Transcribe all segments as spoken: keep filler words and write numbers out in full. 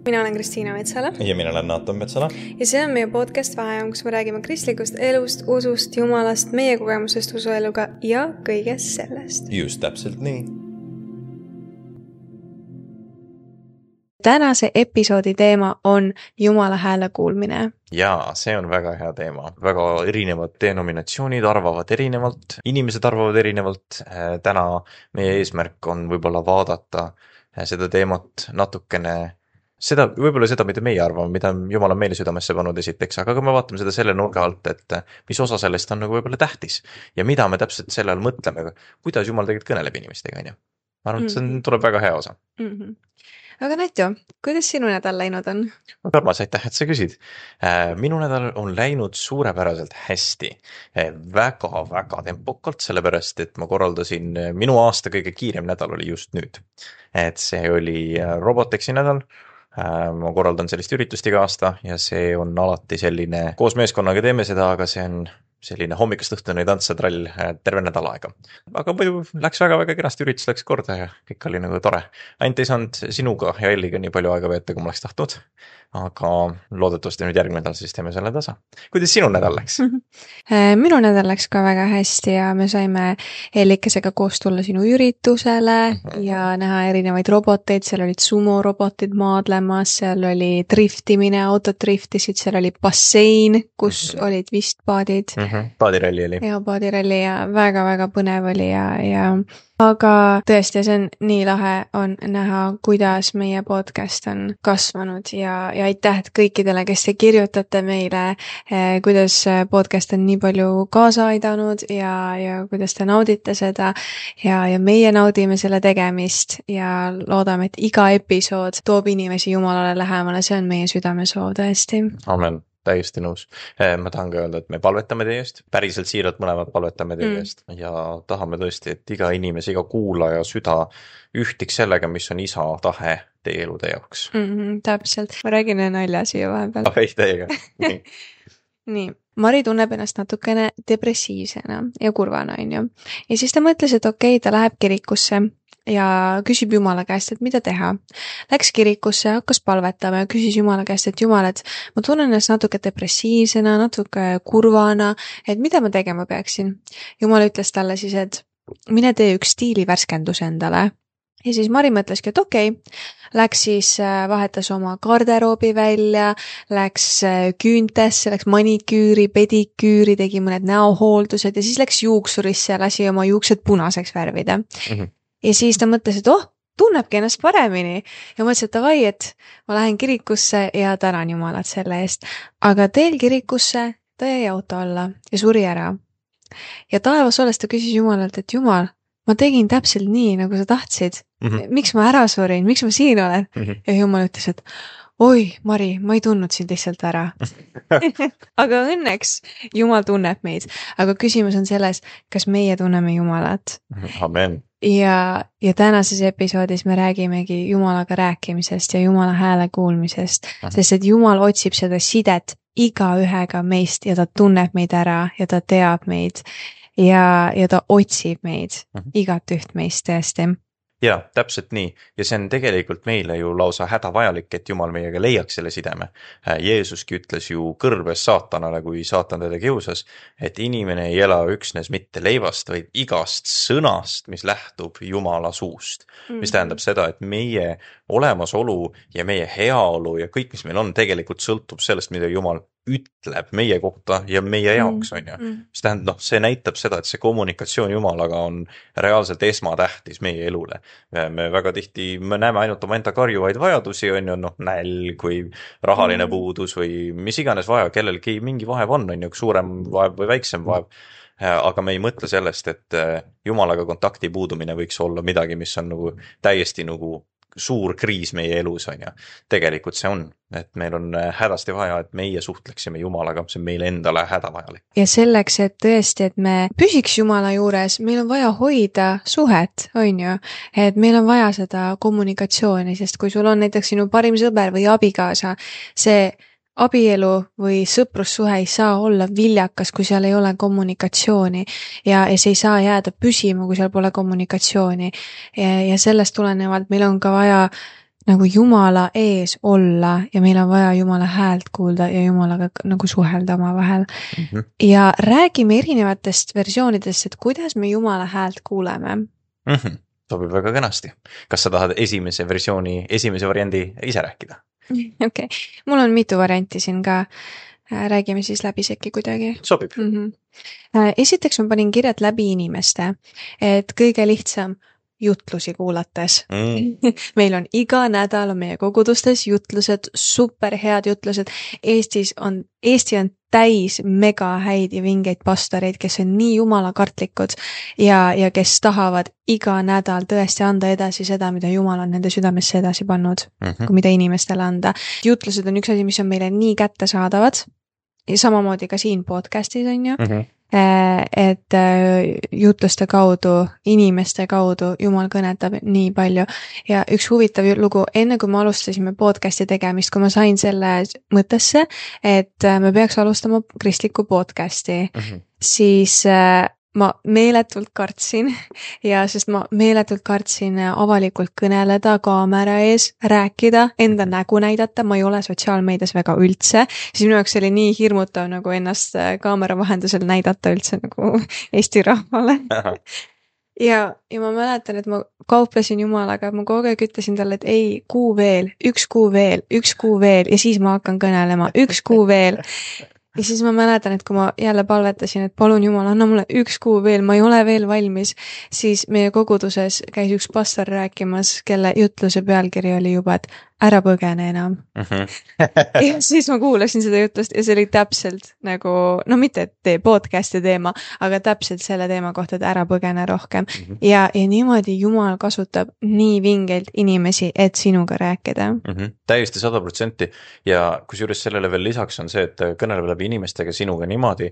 Mina olen Kristiina Metsala. Ja mina olen Naatan Metsala. Ja see on meie podcast Vaheajam, kus me räägime kristlikust elust, usust, jumalast, meie kogemusest usueluga ja kõigest sellest. Just täpselt nii. Tänase episoodi teema on Jumala hääle kuulmine. Jaa, see on väga hea teema. Väga erinevad denominatsioonid arvavad erinevalt, inimesed arvavad erinevalt. Täna meie eesmärk on võib-olla vaadata seda teemat natukene Seda, võib-olla seda, mida meie arvame, mida Jumal on meile südamesse pannud esiteks, aga me vaatame seda selle nurga alt, et mis osa sellest on nagu võib-olla tähtis ja mida me täpselt selle all mõtleme, kuidas Jumal tegelikult kõneleb inimestega, on ju. Ma arvan, et see on, tuleb väga hea osa. Mm-hmm. Aga Natjo, kuidas sinu nädal läinud on? Armas, aitäh, et sa küsid. Minu nädal on läinud suurepäraselt hästi. Väga-väga tempokalt, sellepärast, et ma korraldasin, minu aasta kõige kiirem nädal oli just nüüd. Et see oli Robotexi nädal. Ma korraldan sellist üritust iga aasta ja see on alati selline, koos meeskonnaga teeme seda, aga see on selline hommikust õhtuni tantsatrall terve nädal aega. Aga muidu läks väga-väga kenasti, üritus läks korda ja kõik oli nagu tore. Ainult ei saanud sinuga ja Elliga nii palju aega veeta, kui ma oleks tahtnud, aga loodetavasti nüüd järgmine nädal siis teeme selle tasa. Kuidas sinu nädal läks? Minu nädal läks ka väga hästi ja me saime Ellikesega koos tulla sinu üritusele mm-hmm. ja näha erinevaid roboteid, seal olid sumo-robotid maadlemas, seal oli driftimine, autod driftisid, seal oli bassein, kus mm-hmm. olid vist paadid. Mm-hmm. Paadiralli oli. Ja paadiralli ja väga-väga põnev oli ja, ja aga tõesti, see on nii lahe on näha, kuidas meie podcast on kasvanud ja, ja aitäh kõikidele, kes te kirjutate meile, eh, kuidas podcast on nii palju kaasa aidanud ja, ja kuidas te naudite seda ja, ja meie naudime selle tegemist ja loodame, et iga episood toob inimesi Jumalale lähemale, see on meie südamesoov tõesti. Amen. Täiesti nõus. Ma tahan ka öelda, et me palvetame teie eest, päriselt siiralt mõlemad palvetame teie eest mm. ja tahame tõesti, et iga inimese, iga kuulaja süda ühtiks sellega, mis on isa tahe teie elude jaoks. Mm-hmm, täpselt. Ma räägin nalja siia vahepeal. Ei, teiega. Nii. Nii. Mari tunneb ennast natukene depressiivsena ja kurvana, on ju. Ja siis ta mõtles, et okei, ta läheb kirikusse ja küsib Jumala käest, et mida teha. Läks kirikusse, hakkas palvetama ja küsis Jumala käest, et Jumal, et ma tunnen ennast natuke depressiivsena, natuke kurvana, et mida ma tegema peaksin. Jumal ütles talle siis, et mine tee üks stiilivärskendus endale. Ja siis Mari mõtleski, et okei, läks siis vahetas oma garderoobi välja, läks küüntesse, läks maniküüri, pediküüri, tegi mõned näohooldused ja siis läks juuksurisse ja lasi oma juuksed punaseks värvida. Mm-hmm. Ja siis ta mõtles, et oh, tunnebki ennast paremini ja mõtles, et davai, et ma lähen kirikusse ja tänan Jumalat selle eest. Aga teel kirikusse ta jäi auto alla ja suri ära. Ja taevas olles ta küsis Jumalalt, et Jumal, ma tegin täpselt nii, nagu sa tahtsid. Mm-hmm. Miks ma ära surin? Miks ma siin olen? Mm-hmm. Ja Jumal ütles, et oi, Mari, ma ei tundnud sind lihtsalt ära. Aga õnneks Jumal tunneb meid. Aga küsimus on selles, kas meie tunneme Jumalat. Amen. Ja, ja tänases episoodis me räägimegi Jumalaga rääkimisest ja Jumala hääle kuulmisest, Aha. sest et Jumal otsib seda sidet iga ühega meist ja ta tunneb meid ära ja ta teab meid ja, ja ta otsib meid, Aha. igat üht meist tõesti. Jaa, täpselt nii. Ja see on tegelikult meile ju lausa hädavajalik, et Jumal meiega leiaks selle sideme. Jeesuski ütles ju kõrbes saatanale, kui saatan teda kiusas, et inimene ei ela üksnes mitte leivast, vaid igast sõnast, mis lähtub Jumala suust. Mm-hmm. Mis tähendab seda, et meie olemasolu ja meie heaolu ja kõik, mis meil on, tegelikult sõltub sellest, mida Jumal ütleb meie kohta ja meie jaoks, on ju. Mis tähendab, noh, see näitab seda, et see kommunikatsioon Jumalaga on reaalselt esmatähtis meie elule. Me väga tihti, me näeme ainult oma enda karjuvaid vajadusi, on ju, noh, nälg või rahaline puudus või mis iganes vaja, kellelgi mingi vaev on, on ju, suurem vaev või väiksem vaev. Aga me ei mõtle sellest, et Jumalaga kontakti puudumine võiks olla midagi, mis on nagu täiesti nagu suur kriis meie elus, on ju. Tegelikult see on, et meil on hädasti vaja, et meie suhtleksime Jumalaga, see on meile endale hädavajalik. Ja selleks, et tõesti, et me püsiks Jumala juures, meil on vaja hoida suhet, on ju, et meil on vaja seda kommunikatsiooni, sest kui sul on näiteks sinu parim sõber või abikaasa, see abielu või sõprussuhe ei saa olla viljakas, kui seal ei ole kommunikatsiooni ja, ja see ei saa jääda püsima, kui seal pole kommunikatsiooni ja, ja sellest tulenevalt meil on ka vaja nagu Jumala ees olla ja meil on vaja Jumala häält kuulda ja Jumalaga nagu suhelda omavahel. mm. -hmm. Ja räägime erinevatest versioonidest, et kuidas me Jumala häält kuuleme. Mm -hmm. Sobib väga kenasti. Kas sa tahad esimese versiooni, esimese variandi ise rääkida? Okei, okay. Mul on mitu varianti siin ka. Räägime siis läbi sekki kuidagi. Sobib. Mm -hmm. Esiteks ma panin kirjad läbi inimeste, et kõige lihtsam jutlusi kuulates mm. meil on iga nädal on meie kogudustes jutlused, super head jutlused. Eestis on, Eesti on täis mega häid ja vingeid pastoreid, kes on nii jumalakartlikud ja, ja kes tahavad iga nädal tõesti anda edasi seda, mida Jumal on nende südamesse edasi pannud, mm -hmm. kui mida inimestele anda. Jutlused on üks asi, mis on meile nii kättesaadavad ja samamoodi ka siin podcastis on ju. Mm -hmm. Et jutluste kaudu, inimeste kaudu Jumal kõnetab nii palju. Ja üks huvitav lugu, enne kui me alustasime podcasti tegemist, kui ma sain selle mõttesse, et me peaks alustama kristlikku podcasti, mm -hmm. siis ma meeletult kartsin ja sest ma meeletult kartsin avalikult kõneleda, kaamera ees, rääkida, enda nägu näidata, ma ei ole sotsiaalmeedias väga üldse, siis minu jaoks oli nii hirmutav nagu ennast kaamera vahendusel näidata üldse nagu Eesti rahvale. ja, ja ma mäletan, et ma kauplesin Jumalaga, ma kogu aeg ütlesin talle, et ei, kuu veel, üks kuu veel, üks kuu veel ja siis ma hakkan kõnelema, üks kuu veel. Ja siis ma mäletan, et kui ma jälle palvetasin, et palun Jumal, anna mulle üks kuu veel, ma ei ole veel valmis, siis meie koguduses käis üks pastor rääkimas, kelle jutluse pealkiri oli juba, et ära põgene enam. Mm -hmm. ja siis ma kuulasin seda jutlust ja see oli täpselt nagu, no mitte tee podcasti teema, aga täpselt selle teema kohta, et ära põgene rohkem. Mm -hmm. ja, ja niimoodi Jumal kasutab nii vingelt inimesi, et sinuga rääkida. Mm -hmm. Täiesti sada protsenti ja kusjuures sellele veel lisaks on see, et kõneleb läbi inimestega sinuga niimoodi,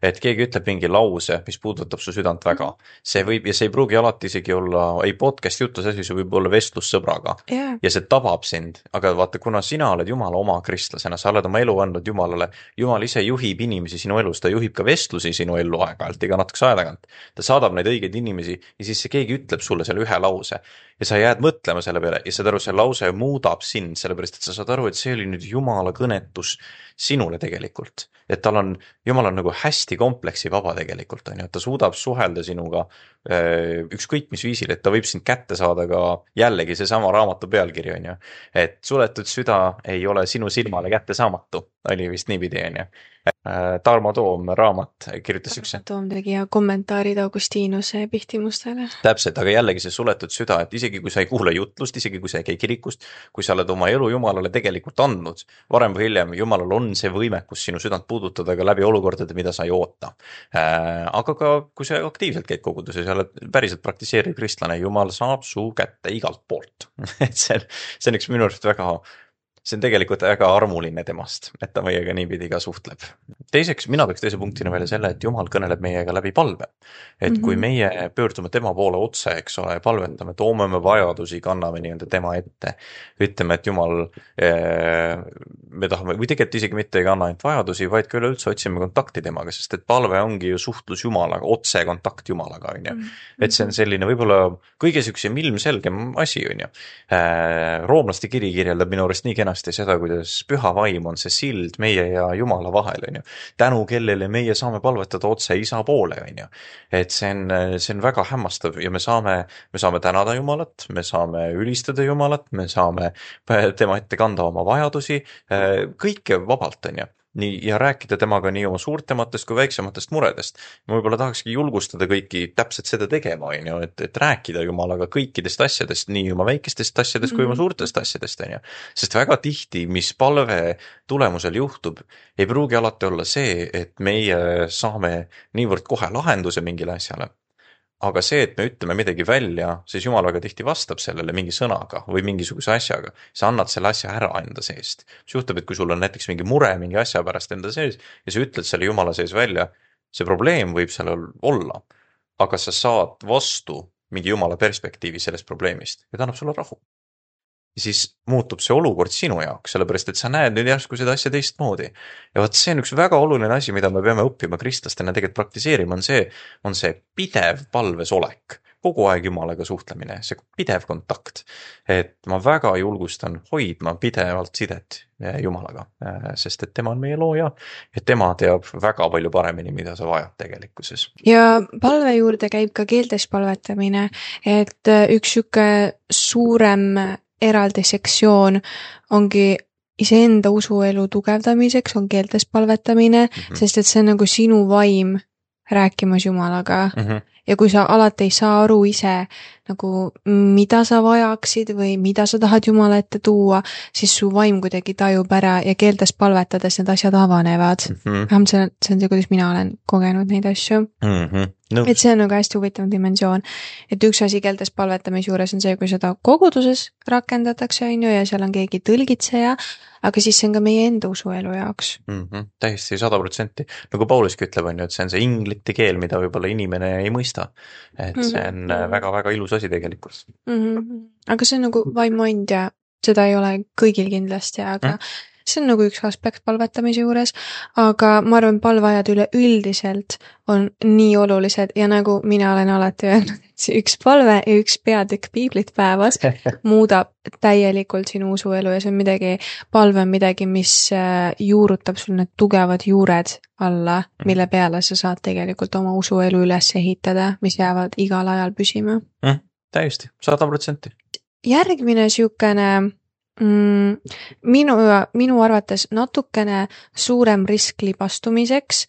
et keegi ütleb mingi lause, mis puudutab su südant väga. See võib, ja see ei pruugi alati isegi olla, ei podcast jutlus asi, see võib olla vestlus sõbraga. Yeah. Ja see tabab sind, aga vaata, kuna sina oled Jumala oma kristlasena, sa oled oma elu andnud Jumalale, Jumal ise juhib inimesi sinu elus, ta juhib ka vestlusi sinu ellu aeg-ajalt, iga natukese aja tagant. Ta saadab neid õigeid inimesi ja siis see keegi ütleb sulle selle ühe lause ja sa jääd mõtlema selle peale ja saad aru, see lause muudab sind, sellepärast et sa saad aru, et see oli nüüd Jumala kõnetus sinule tegelikult. Et tal on, Jumal on nagu hästi kompleksi vaba tegelikult, on ju, et ta suudab suhelda sinuga ükskõik mis viisil, et ta võib sind kätte saada ka jällegi seesama raamatu pealkiri, on ju, et suletud süda ei ole sinu silmale kättesaamatu, oli vist niipidi, on ju. Tarmo Toom raamat kirjutas üks. Tarmo Toom tegi ja kommentaarid Augustinuse pihtimustele. Täpselt, aga jällegi see suletud süda, et isegi kui sa ei kuule jutlust, isegi kui sa ei käi kirikust, kui sa oled oma elu Jumalale tegelikult andnud, varem või hiljem Jumalal on see võimekus sinu südant puudutada ka läbi olukordade, mida sa ei oota. Aga ka kui sa aktiivselt käid koguduses ja oled päriselt praktiseeriv kristlane, Jumal saab su kätte igalt poolt. et see, see on üks minu arust väga see on tegelikult väga armuline temast, et ta meiega niipidi ka suhtleb. Teiseks, mina tooks teise punktina välja selle, et Jumal kõneleb meiega läbi palve. Et mm -hmm. kui meie pöördume tema poole otse, eks ole, palvetame, toome me vajadusi, kanname nii-öelda tema ette, ütleme, et Jumal, me tahame, või tegelikult isegi mitte ei kanna ainult vajadusi, vaid ka üleüldse otsime kontakti temaga, sest et palve ongi ju suhtlus Jumalaga, otse kontakt Jumalaga, on ju. Mm -hmm. Et see on selline võib-olla kõige süksem ilmselgem asi, on ju. Roomlaste kiri kirjeldab minu arust nii kenasti seda, kuidas püha vaim on see sild meie ja Jumala vahel, on ju. Tänu kellele meie saame palvetada otse Isa poole, on ju. Et see on, see on väga hämmastav ja me saame, me saame tänada Jumalat, me saame ülistada Jumalat, me saame tema ette kanda oma vajadusi, kõike vabalt, on ju. Nii, ja rääkida temaga nii oma suurtematest kui väiksematest muredest. Ma võib-olla tahakski julgustada kõiki täpselt seda tegema, on ju, et, et rääkida Jumalaga kõikidest asjadest, nii oma väikestest asjadest mm-hmm. kui oma suurtest asjadest, on ju. Sest väga tihti, mis palve tulemusel juhtub, ei pruugi alati olla see, et meie saame niivõrd kohe lahenduse mingile asjale. Aga see, et me ütleme midagi välja, siis Jumal väga tihti vastab sellele mingi sõnaga või mingisuguse asjaga. Sa annad selle asja ära enda seest. See juhtub, et kui sul on näiteks mingi mure mingi asja pärast enda sees ja sa ütled selle Jumala sees välja, see probleem võib seal olla, aga sa saad vastu mingi Jumala perspektiivi sellest probleemist ja ta annab sulle rahu. Ja siis muutub see olukord sinu jaoks, sellepärast et sa näed nüüd järsku seda asja teistmoodi. Ja vaat see on üks väga oluline asi, mida me peame õppima kristlastena tegelikult praktiseerima, on see, on see pidev palves olek. kogu aeg Jumalaga suhtlemine, see pidev kontakt. Et ma väga julgustan hoidma pidevalt sidet Jumalaga, sest et tema on meie looja ja tema teab väga palju paremini, mida sa vajad tegelikkuses. Ja palve juurde käib ka keeltes palvetamine, et üks siuke suurem eraldi sektsioon ongi iseenda usuelu tugevdamiseks on keeltes palvetamine, mm-hmm. sest et see on nagu sinu vaim rääkimas Jumalaga. Mm-hmm. Ja kui sa alati ei saa aru ise, nagu mida sa vajaksid või mida sa tahad Jumala ette tuua, siis su vaim kuidagi tajub ära ja keeltes palvetades need asjad avanevad. Mm-hmm. See, see on see, kuidas mina olen kogenud neid asju. Mm-hmm. No. Et see on nagu hästi huvitav dimensioon. Et üks asi keeltes palvetamise juures on see, kui seda koguduses rakendatakse, on ju, ja seal on keegi tõlgitseja, aga siis see on ka meie enda usuelu jaoks. Mm-hmm. Täiesti sada protsenti. Nagu Pauluski ütleb, on ju, et see on see inglite keel, mida võib-olla inimene ei mõista. Et see on mm-hmm. väga-väga ilus asi tegelikult. Mm-hmm. Aga see on nagu vaimuandja, seda ei ole kõigil kindlasti, aga mm-hmm. see on nagu üks aspekt palvetamise juures, aga ma arvan, palveajad üle üldiselt on nii olulised ja nagu mina olen alati öelnud, et see üks palve ja üks peatükk piiblit päevas muudab täielikult sinu usuelu ja see on midagi, palve on midagi, mis juurutab sul need tugevad juured alla, mille peale sa saad tegelikult oma usuelu üles ehitada, mis jäävad igal ajal püsima. Mm, täiesti, sada protsenti. Järgmine siukene Mm, minu, minu arvates natukene suurem risk libastumiseks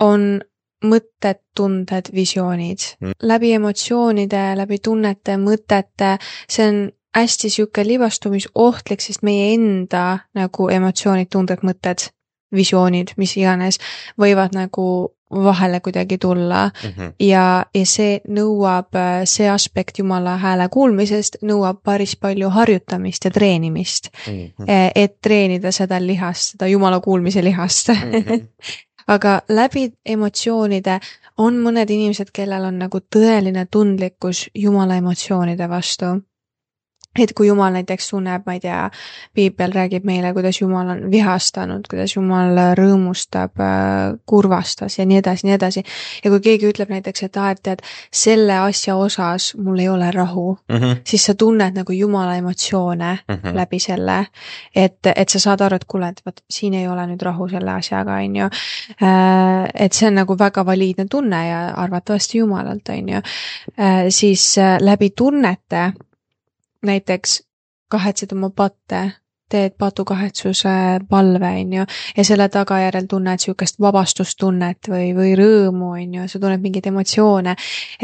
on mõtted, tunded, visioonid. Mm. Läbi emotsioonide, läbi tunnete, mõtete, see on hästi siuke libastumisohtlik, sest meie enda nagu emotsioonid, tunded, mõtted, visioonid, mis iganes, võivad nagu vahele kuidagi tulla mm-hmm. ja, ja see nõuab, see aspekt Jumala hääle kuulmisest nõuab päris palju harjutamist ja treenimist, mm-hmm. et treenida seda lihast, seda Jumala kuulmise lihast. Mm-hmm. Aga läbi emotsioonide on mõned inimesed, kellel on nagu tõeline tundlikkus Jumala emotsioonide vastu. Et kui Jumal näiteks tunneb, ma ei tea, Piibel räägib meile, kuidas Jumal on vihastanud, kuidas Jumal rõõmustab, kurvastas ja nii edasi, nii edasi. Ja kui keegi ütleb näiteks, et ah, et tead, selle asja osas mul ei ole rahu, mm-hmm. siis sa tunned nagu Jumala emotsioone mm-hmm. läbi selle, et, et sa saad aru, et kuule, et võt, siin ei ole nüüd rahu selle asjaga, on ju. Et see on nagu väga valiidne tunne ja arvatavasti Jumalalt, on ju. Siis läbi tunnete näiteks kahetsed oma patte, teed patukahetsuse palve, on ju, ja selle tagajärel tunned siukest vabastustunnet või, või rõõmu, on ju, sa tunned mingeid emotsioone,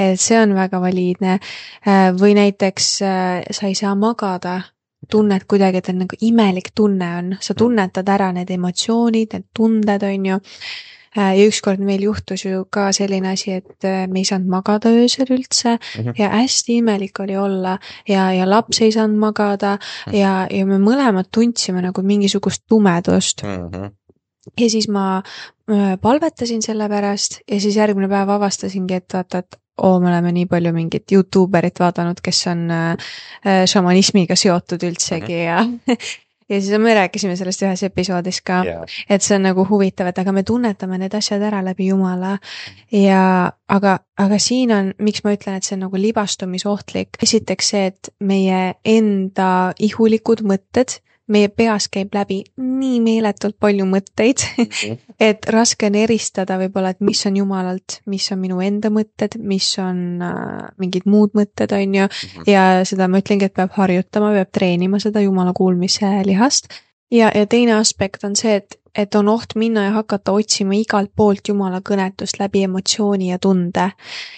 et see on väga valiidne. Või näiteks sa ei saa magada, tunned kuidagi, et on nagu imelik tunne on, sa tunnetad ära need emotsioonid, need tunded, on ju. Ja ükskord meil juhtus ju ka selline asi, et me ei saanud magada öösel üldse mm-hmm. ja hästi imelik oli olla ja, ja laps ei saanud magada mm-hmm. ja, ja me mõlemad tundsime nagu mingisugust tumedust. Mm-hmm. Ja siis ma palvetasin selle pärast ja siis järgmine päev avastasingi, et vaata, et oo, me oleme nii palju mingit YouTuberit vaadanud, kes on äh, šamanismiga seotud üldsegi mm-hmm. ja ja siis me rääkisime sellest ühes episoodis ka, yeah. et see on nagu huvitav, et aga me tunnetame need asjad ära läbi Jumala ja aga, aga siin on, miks ma ütlen, et see on nagu libastumisohtlik. Esiteks see, et meie enda ihulikud mõtted, meie peas käib läbi nii meeletult palju mõtteid, mm-hmm. et raske on eristada võib-olla, et mis on Jumalalt, mis on minu enda mõtted, mis on äh, mingid muud mõtted, on ju, mm-hmm. ja seda ma ütlengi, et peab harjutama, peab treenima seda Jumala kuulmise lihast. Ja, ja teine aspekt on see, et, et on oht minna ja hakata otsima igalt poolt Jumala kõnetust läbi emotsiooni ja tunde.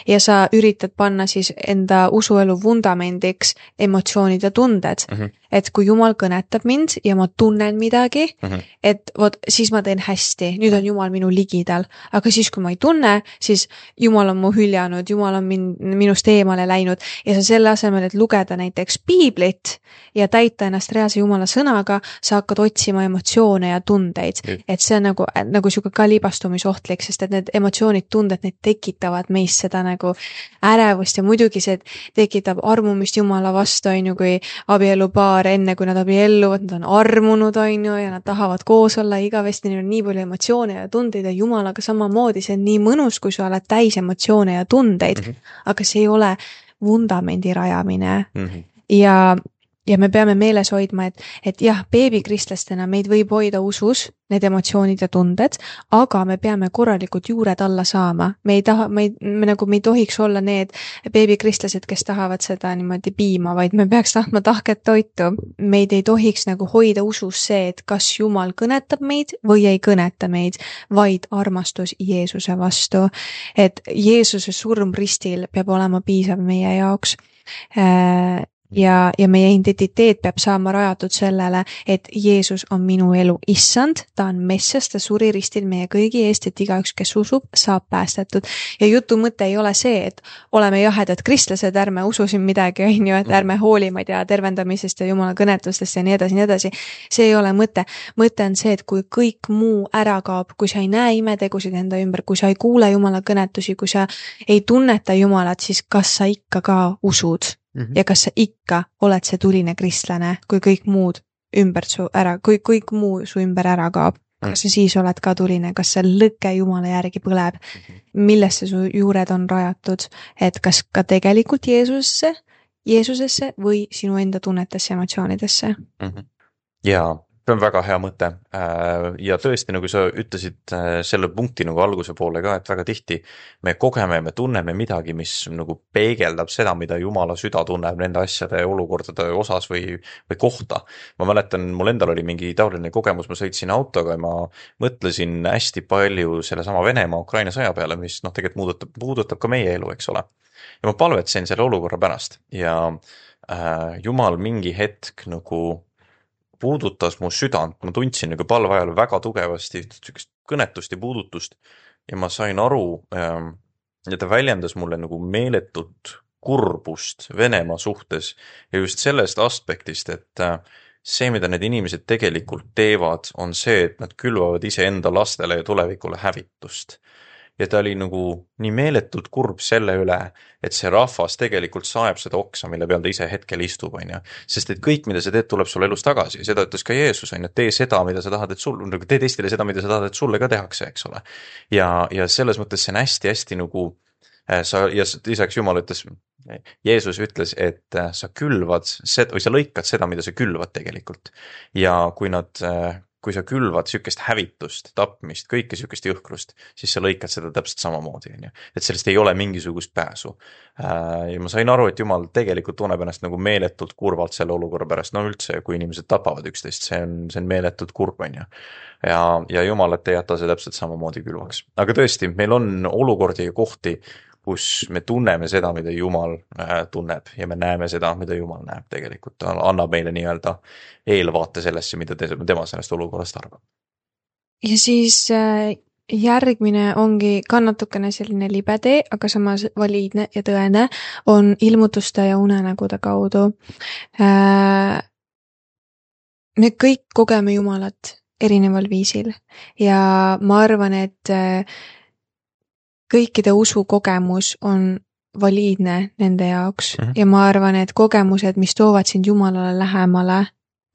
Ja sa üritad panna siis enda usuelu vundamendiks emotsioonid ja tunded. Mm-hmm. Et kui Jumal kõnetab mind ja ma tunnen midagi, mm-hmm. et vot, siis ma teen hästi, nüüd on Jumal minu ligidal. Aga siis, kui ma ei tunne, siis Jumal on mu hüljanud, Jumal on min, minust eemale läinud ja sa selle asemel, et lugeda näiteks piiblit ja täita ennast reaalse Jumala sõnaga, sa hakkad otsima emotsioone ja tundeid. Mm. Et see on nagu, nagu siuke ka libastumisohtlik, sest et need emotsioonid, tunded, need tekitavad meist seda nagu ärevust ja muidugi see tekitab armumist Jumala vastu, on ju, kui abielupaar enne kui nad abielluvad, nad on armunud, on ju, ja nad tahavad koos olla igavesti, neil on nii palju emotsioone ja tundeid ja Jumalaga samamoodi, see on nii mõnus, kui sa oled täis emotsioone ja tundeid, mm-hmm. aga see ei ole vundamendi rajamine mm. -hmm. ja ja me peame meeles hoidma, et, et jah, beebikristlastena meid võib hoida usus, need emotsioonid ja tunded, aga me peame korralikult juured alla saama. Me ei taha, me, ei, me nagu me ei tohiks olla need beebikristlased, kes tahavad seda niimoodi piima, vaid me peaks tahtma tahket toitu. Meid ei tohiks nagu hoida usus see, et kas Jumal kõnetab meid või ei kõneta meid, vaid armastus Jeesuse vastu. Et Jeesuse surm ristil peab olema piisav meie jaoks. Äh, Ja, ja meie identiteet peab saama rajatud sellele, et Jeesus on minu elu issand, ta on messias, ta suri ristil meie kõigi eest, et igaüks, kes usub, saab päästetud. Ja jutu mõte ei ole see, et oleme jahedad kristlased, ärme usu siin midagi, on ju, et ärme hooli, ma ei tea, tervendamisest ja Jumala kõnetustest ja nii edasi, nii edasi. See ei ole mõte. Mõte on see, et kui kõik muu ära kaob, kui sa ei näe imetegusid enda ümber, kui sa ei kuule Jumala kõnetusi, kui sa ei tunneta Jumalat, siis kas sa ikka ka usud? Mm -hmm. Ja kas sa ikka oled see tuline kristlane, kui kõik muud ümber su ära, kui kõik muu su ümber ära kaob, kas sa siis oled ka tuline, kas see lõke Jumala järgi põleb, mm -hmm. millesse su juured on rajatud, et kas ka tegelikult Jeesusesse, Jeesusesse või sinu enda tunnetesse, emotsioonidesse. Mm -hmm. Ja see on väga hea mõte ja tõesti, nagu sa ütlesid selle punkti nagu alguse poole ka, et väga tihti me kogeme, me tunneme midagi, mis nagu peegeldab seda, mida Jumala süda tunneb nende asjade olukordade osas või, või kohta. Ma mäletan, mul endal oli mingi taoline kogemus, ma sõitsin autoga ja ma mõtlesin hästi palju selle sama Venemaa, Ukraina sõja peale, mis noh, tegelikult muudutab, puudutab ka meie elu, eks ole. Ja ma palvetsin selle olukorra pärast ja äh, Jumal mingi hetk nagu puudutas mu südant, ma tundsin nagu palve ajal väga tugevasti kõnetust ja puudutust ja ma sain aru ja ta väljendas mulle nagu meeletut kurbust Venemaa suhtes ja just sellest aspektist, et see, mida need inimesed tegelikult teevad, on see, et nad külvavad iseenda lastele ja tulevikule hävitust. Ja ta oli nagu nii meeletult kurb selle üle, et see rahvas tegelikult saeb seda oksa, mille peal ta ise hetkel istub, on ju. Sest et kõik, mida sa teed, tuleb sulle elus tagasi. Seda ütles ka Jeesus, on ju, et tee seda, mida sa tahad, et sul, nagu tee teistele seda, mida sa tahad, et sulle ka tehakse, eks ole. Ja, ja selles mõttes see on hästi-hästi nagu, sa, ja lisaks Jumal ütles, Jeesus ütles, et sa külvad seda, või sa lõikad seda, mida sa külvad tegelikult. Ja kui nad... kui sa külvad sükest hävitust, tapmist, kõike sükest jõhkrust, siis sa lõikad seda täpselt samamoodi, on ju. Et sellest ei ole mingisugust pääsu. Ja ma sain aru, et Jumal tegelikult tunneb ennast nagu meeletult kurvalt selle olukorra pärast. No üldse, kui inimesed tapavad üksteist, see on, see on meeletult kurb, on ju. Ja, ja Jumalat ei jäta see täpselt samamoodi külvaks. Aga tõesti, meil on olukordi ja kohti, kus me tunneme seda, mida Jumal tunneb ja me näeme seda, mida Jumal näeb tegelikult. Ta annab meile nii-öelda eelvaate sellesse, mida tema sellest olukorrast arvab. Ja siis järgmine ongi ka natukene selline libetee, aga samas valiidne ja tõene on ilmutuste ja unenägude kaudu. Me kõik kogeme Jumalat erineval viisil ja ma arvan, et kõikide usukogemus on valiidne nende jaoks mm -hmm. ja ma arvan, et kogemused, mis toovad sind Jumalale lähemale,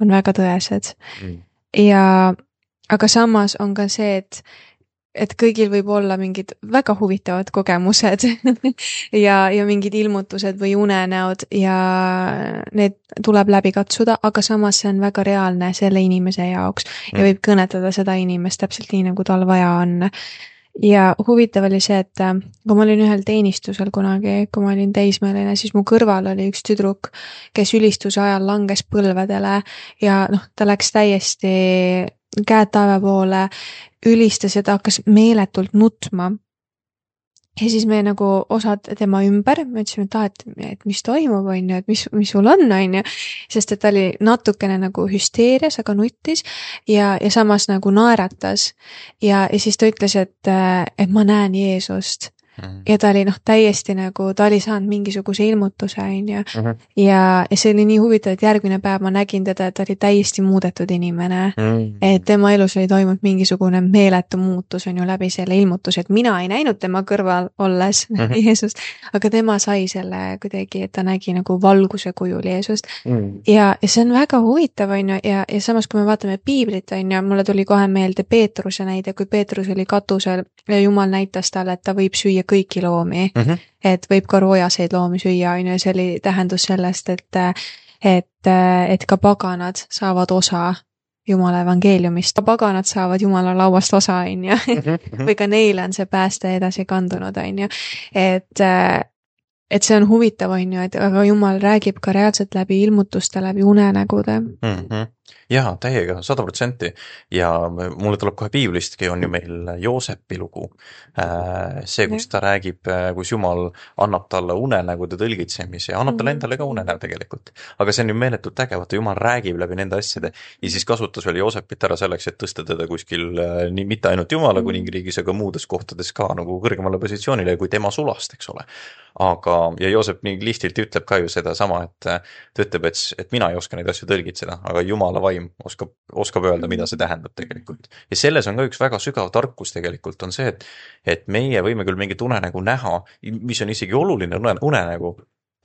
on väga tõesed. Mm. Ja, aga samas on ka see, et, et kõigil võib olla mingid väga huvitavad kogemused ja, ja mingid ilmutused või unenäod ja need tuleb läbi katsuda, aga samas see on väga reaalne selle inimese jaoks mm. ja võib kõnetada seda inimest täpselt nii, nagu tal vaja on. Ja huvitav oli see, et kui ma olin ühel teenistusel kunagi, kui ma olin teismeline, siis mu kõrval oli üks tüdruk, kes ülistuse ajal langes põlvedele ja noh, ta läks täiesti käed taeva poole, ülistas ja ta hakkas meeletult nutma. Ja siis me nagu osad tema ümber, me ütlesime, et, et, et mis toimub, on ju, et mis, mis sul on, on ju, sest et ta oli natukene nagu hüsteerias, aga nuttis ja, ja samas nagu naeratas ja, ja siis ta ütles, et, et ma näen Jeesust. Mm-hmm. Ja ta oli noh, täiesti nagu, ta oli saanud mingisuguse ilmutuse, on ju. Mm-hmm. Ja, ja see oli nii huvitav, et järgmine päev ma nägin teda, et ta oli täiesti muudetud inimene. Mm-hmm. Et tema elus oli toimunud mingisugune meeletu muutus, on ju, läbi selle ilmutuse, et mina ei näinud tema kõrval olles mm-hmm. Jeesust, aga tema sai selle kuidagi, et ta nägi nagu valguse kujul Jeesust. Mm-hmm. Ja, ja see on väga huvitav, on ju, ja, ja samas, kui me vaatame piiblit, on ju, mulle tuli kohe meelde Peetruse näide, kui Peetrus oli katusel ja Jumal näitas talle, et ta võib süüa kõiki loomi mm. -hmm. Et võib ka roojaseid loomi süüa, on ju, see oli tähendus sellest, et, et, et ka paganad saavad osa Jumala evangeeliumist. Ka paganad saavad Jumala lauast osa, on ju. Või ka neile on see pääste edasi kandunud, on ju. Et, et see on huvitav, on ju, et aga Jumal räägib ka reaalselt läbi ilmutuste, läbi unenägude. Mm -hmm. Jaa, täiega, sada protsenti. Ja mulle tuleb kohe piiblistki, on ju meil Joosepi lugu. See, kus ta räägib, kus Jumal annab talle unenägude tõlgitsemise ja annab talle endale ka unenäo tegelikult. Aga see on ju meeletult äge, vaata Jumal räägib läbi nende asjade ja siis kasutas veel Joosepit ära selleks, et tõsta teda kuskil nii, mitte ainult Jumala kuningriigis, aga muudes kohtades ka nagu kõrgemale positsioonile kui tema sulast, eks ole. Aga, ja Joosep nii lihtilt ütleb ka ju seda sama, et ta ütleb, et, et mina ei oska neid asju tõlgitseda, aga Jumala vaim oskab, oskab öelda, mida see tähendab tegelikult. Ja selles on ka üks väga sügav tarkus tegelikult on see, et, et meie võime küll mingit unenägu näha, mis on isegi oluline unenägu,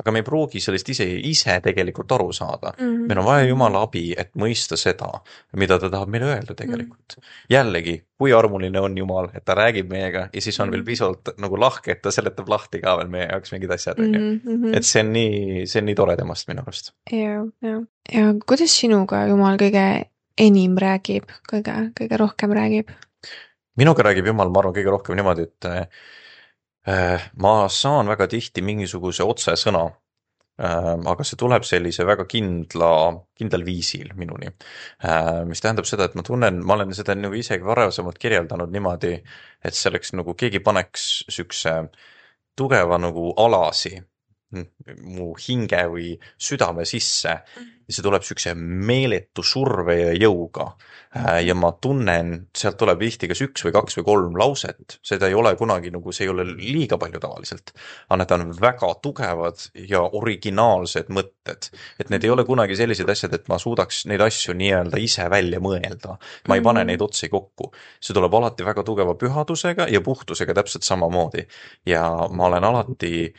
aga me ei pruugi sellest ise, ise tegelikult aru saada. Mm -hmm. Meil on vaja Jumala abi, et mõista seda, mida ta tahab meile öelda tegelikult. Mm -hmm. Jällegi, kui armuline on Jumal, et ta räägib meiega ja siis on veel pisut nagu lahke, et ta seletab lahti ka veel meie jaoks mingid asjad. Mm -hmm. Et see on nii, see on nii tore temast minu arust. Ja, ja. ja kuidas sinuga Jumal kõige enim räägib, kõige, kõige rohkem räägib? Minuga räägib Jumal, ma arvan, kõige rohkem niimoodi, et ma saan väga tihti mingisuguse otsesõna, aga see tuleb sellise väga kindla, kindlal viisil minuni. Mis tähendab seda, et ma tunnen, ma olen seda nagu isegi varasemalt kirjeldanud niimoodi, et selleks nagu keegi paneks sükse tugeva nagu alasi mu hinge või südame sisse ja see tuleb sükse meeletu surve ja jõuga. Ja ma tunnen, sealt tuleb tihti kas üks või kaks või kolm lauset, seda ei ole kunagi nagu, see ei ole liiga palju tavaliselt, aga need on väga tugevad ja originaalsed mõtted, et need ei ole kunagi sellised asjad, et ma suudaks neid asju nii-öelda ise välja mõelda, ma ei pane neid otsi kokku, see tuleb alati väga tugeva pühadusega ja puhtusega täpselt samamoodi ja ma olen alati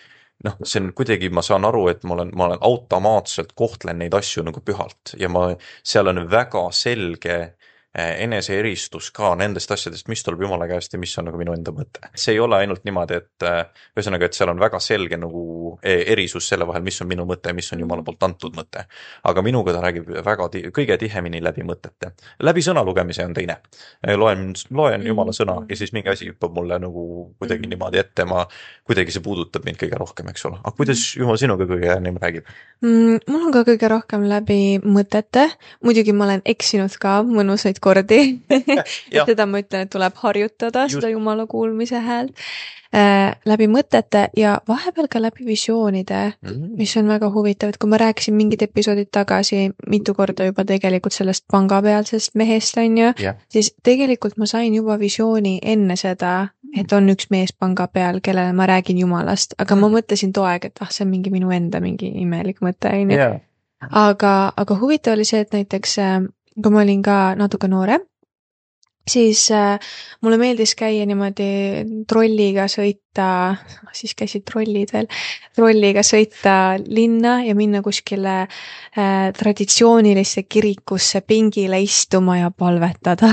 noh, see on kuidagi, ma saan aru, et ma olen, ma olen automaatselt kohtlen neid asju nagu pühalt ja ma, seal on väga selge eneseeristus ka nendest asjadest, mis tuleb Jumala käest ja mis on nagu minu enda mõte. See ei ole ainult niimoodi, et ühesõnaga, et seal on väga selge nagu erisus selle vahel, mis on minu mõte ja mis on Jumala poolt antud mõte. Aga minuga ta räägib väga ti- kõige tihemini läbi mõtete. Läbi sõna lugemise on teine. Loen, loen Jumala sõna ja siis mingi asi hüppab mulle nagu kuidagi niimoodi ette, ma kuidagi see puudutab mind kõige rohkem, eks ole. Aga kuidas Jumal sinuga kõige ennem räägib? Mm, mul on ka kõige rohkem läbi mõtete. Muidugi ma olen eksinud ka mõnusaid kordi. et seda ma ütlen, et tuleb harjutada Just. seda Jumala kuulmise häält äh, läbi mõtete ja vahepeal ka läbi visioonide, mm-hmm. mis on väga huvitav, et kui ma rääkisin mingid episoodid tagasi mitu korda juba tegelikult sellest pangapealsest mehest, on ju, yeah. siis tegelikult ma sain juba visiooni enne seda, et on üks mees panga peal, kellele ma räägin Jumalast, aga mm. ma mõtlesin too aeg, et ah, see on mingi minu enda mingi imelik mõte, on ju. Yeah. Aga, aga huvitav oli see, et näiteks kui ma olin ka natuke noorem, siis äh, mulle meeldis käia niimoodi trolliga sõita, siis käisid trollid veel, trolliga sõita linna ja minna kuskile äh, traditsioonilisse kirikusse pingile istuma ja palvetada.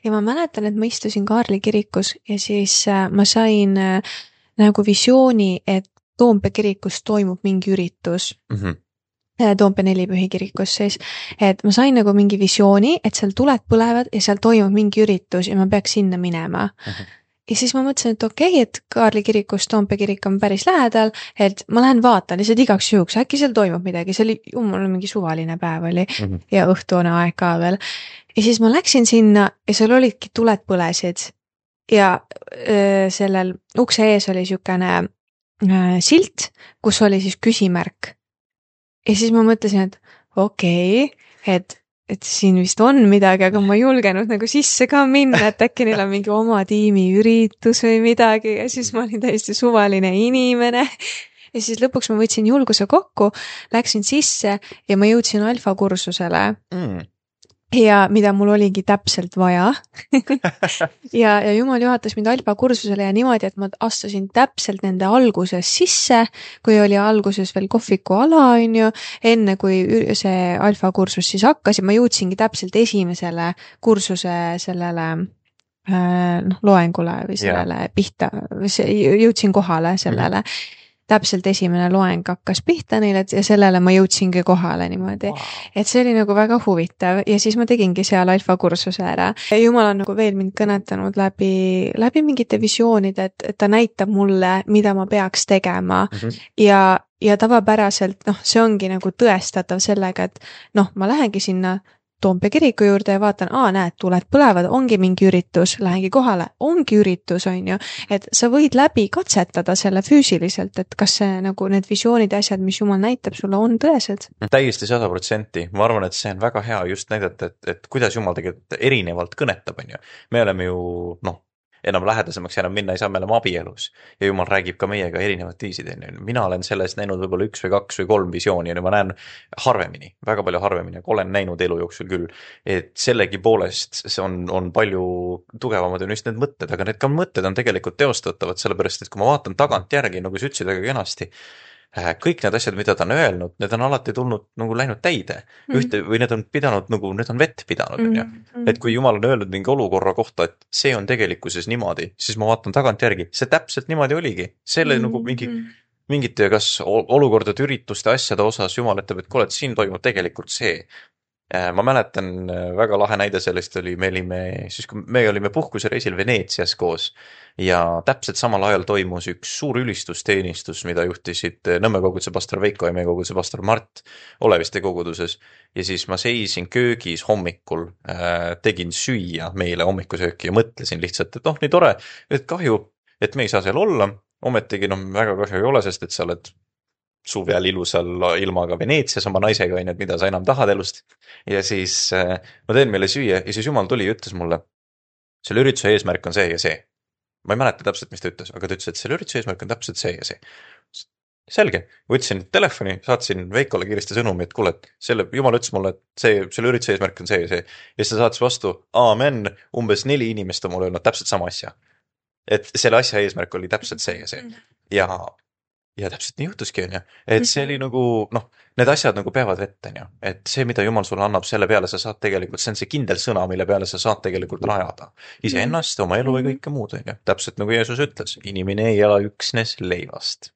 ja ma mäletan, et ma istusin Kaarli kirikus ja siis äh, ma sain äh, nagu visiooni, et Toompea kirikus toimub mingi üritus. Mm-hmm. Toompea nelipühi kirikus siis, et ma sain nagu mingi visiooni, et seal tuled põlevad ja seal toimub mingi üritus ja ma peaks sinna minema. Uh-huh. Ja siis ma mõtlesin, et okei, okay, et Kaarli kirikus Toompea kirik on päris lähedal, et ma lähen vaatan lihtsalt igaks juhuks, äkki seal toimub midagi, see oli jumal mingi suvaline päev oli uh-huh. ja õhtuone aeg ka veel. Ja siis ma läksin sinna ja seal olidki tuled põlesid ja öö, sellel ukse ees oli siukene öö, silt, kus oli siis küsimärk. Ja siis ma mõtlesin, et okei, okay, et, et siin vist on midagi, aga ma ei julgenud nagu sisse ka minna, et äkki neil on mingi oma tiimi üritus või midagi ja siis ma olin täiesti suvaline inimene. Ja siis lõpuks ma võtsin julguse kokku, läksin sisse ja ma jõudsin alfa kursusele. Mm. Ja mida mul oligi täpselt vaja. ja, ja Jumal juhatas mind alfa kursusele ja niimoodi, et ma astusin täpselt nende alguses sisse, kui oli alguses veel kohviku ala, on ju, enne kui see alfa kursus siis hakkas ja ma jõudsingi täpselt esimesele kursuse sellele noh, loengule või sellele yeah. pihta, jõudsin kohale sellele mm. -hmm. Täpselt esimene loeng hakkas pihta neile ja sellele ma jõudsingi kohale niimoodi. Wow. Et see oli nagu väga huvitav ja siis ma tegingi seal alfa kursuse ära. Ja Jumal on nagu veel mind kõnetanud läbi, läbi mingite visioonide, et, et ta näitab mulle, mida ma peaks tegema mm -hmm. ja, ja tavapäraselt, noh, see ongi nagu tõestatav sellega, et noh, ma lähengi sinna Toompea kiriku juurde ja vaatan, aa, näed, tuled põlevad, ongi mingi üritus, lähengi kohale, ongi üritus, on ju, et sa võid läbi katsetada selle füüsiliselt, et kas see nagu need visioonid ja asjad, mis Jumal näitab sulle, on tõesed. Täiesti sada protsenti, ma arvan, et see on väga hea just näidata, et, et kuidas Jumal tegelikult erinevalt kõnetab, on ju. Me oleme ju, noh, enam lähedasemaks enam minna ei saa, me oleme abielus ja Jumal räägib ka meiega erinevat viisid. Mina olen sellest näinud võib-olla üks või kaks või kolm visiooni ja ma näen harvemini, väga palju harvemini, aga olen näinud elu jooksul küll, et sellegi poolest see on, on palju tugevamad on just need mõtted, aga need ka mõtted on tegelikult teostatavad, sellepärast et kui ma vaatan tagant järgi, nagu sa ütlesid väga kenasti, kõik need asjad, mida ta on öelnud, need on alati tulnud nagu läinud täide mm. ühte või need on pidanud nagu, need on vett pidanud mm. Mm. et kui Jumal on öelnud mingi olukorra kohta, et see on tegelikkuses niimoodi, siis ma vaatan tagant järgi, see täpselt niimoodi oligi, selle mm. nagu mingi mingite kas olukordade, ürituste, asjade osas Jumal ütleb, et kuule, et siin toimub tegelikult see. Ma mäletan, väga lahe näide sellest oli, me olime, siis kui me olime puhkusereisil Veneetsias koos ja täpselt samal ajal toimus üks suur ülistusteenistus, mida juhtisid Nõmme koguduse pastor Veiko ja meie koguduse pastor Mart Oleviste koguduses ja siis ma seisin köögis hommikul, tegin süüa meile hommikusööki ja mõtlesin lihtsalt, et noh, nii tore, et kahju, et me ei saa seal olla, ometigi noh, väga kahju ei ole, sest et sa oled suve all ilusal ilmaga Veneetsias oma naisega, on, et mida sa enam tahad elust. Ja siis äh, ma teen meile süüa ja siis Jumal tuli ja ütles mulle, selle ürituse eesmärk on see ja see. Ma ei mäleta täpselt, mis ta ütles, aga ta ütles, et selle ürituse eesmärk on täpselt see ja see. Selge, võtsin telefoni, saatsin Veikole kiiresti sõnumi, et kuule, et selle, Jumal ütles mulle, et see, selle ürituse eesmärk on see ja see. Ja siis ta saatis vastu, aamen, umbes neli inimest on mulle öelnud täpselt sama asja. Et selle asja eesmärk oli täpselt see ja see. Ja Ja täpselt nii juhtuski, on ju. Et see oli nagu, noh, need asjad nagu peavad vett, on ju. Et see, mida Jumal sulle annab, selle peale sa saad tegelikult, see on see kindel sõna, mille peale sa saad tegelikult rajada. Ise ennast, oma elu või kõike muud, on ju. Täpselt nagu Jeesus ütles, inimene ei ela üksnes leivast.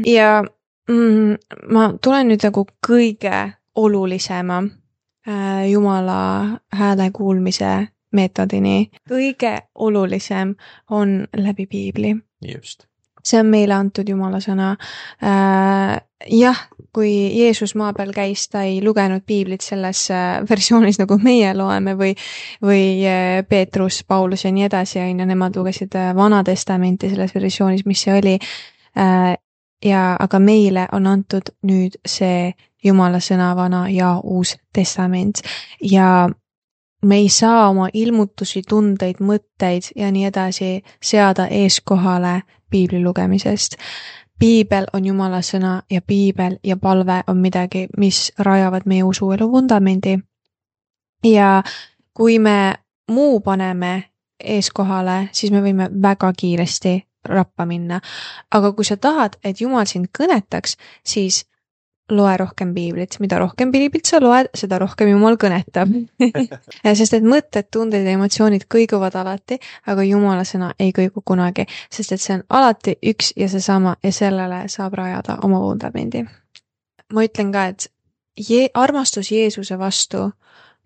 Ja mm, ma tulen nüüd nagu kõige olulisema äh, Jumala hääle kuulmise meetodini. Kõige olulisem on läbi Piibli. Just. See on meile antud Jumala sõna. Äh, jah, kui Jeesus maa peal käis, ta ei lugenud Piiblit selles versioonis, nagu meie loeme või, või Peetrus, Paulus ja nii edasi, ja nemad lugesid Vana Testamenti selles versioonis, mis see oli. Äh, ja, aga meile on antud nüüd see Jumala sõna Vana ja Uus Testament. Ja me ei saa oma ilmutusi, tundeid, mõtteid ja nii edasi seada eeskohale Piibli lugemisest. Piibel on Jumala sõna ja Piibel ja palve on midagi, mis rajavad meie usuelu vundamendi. Ja kui me muu paneme eeskohale, siis me võime väga kiiresti rappa minna. Aga kui sa tahad, et Jumal sind kõnetaks, siis loe rohkem Piiblit. Mida rohkem Piiblit sa loed, seda rohkem Jumal kõnetab. Sest et mõtted, tunded ja emotsioonid kõiguvad alati, aga Jumala sõna ei kõigu kunagi. Sest et see on alati üks ja seesama ja sellele saab rajada oma vundamendi. Ma ütlen ka, et je- armastus Jeesuse vastu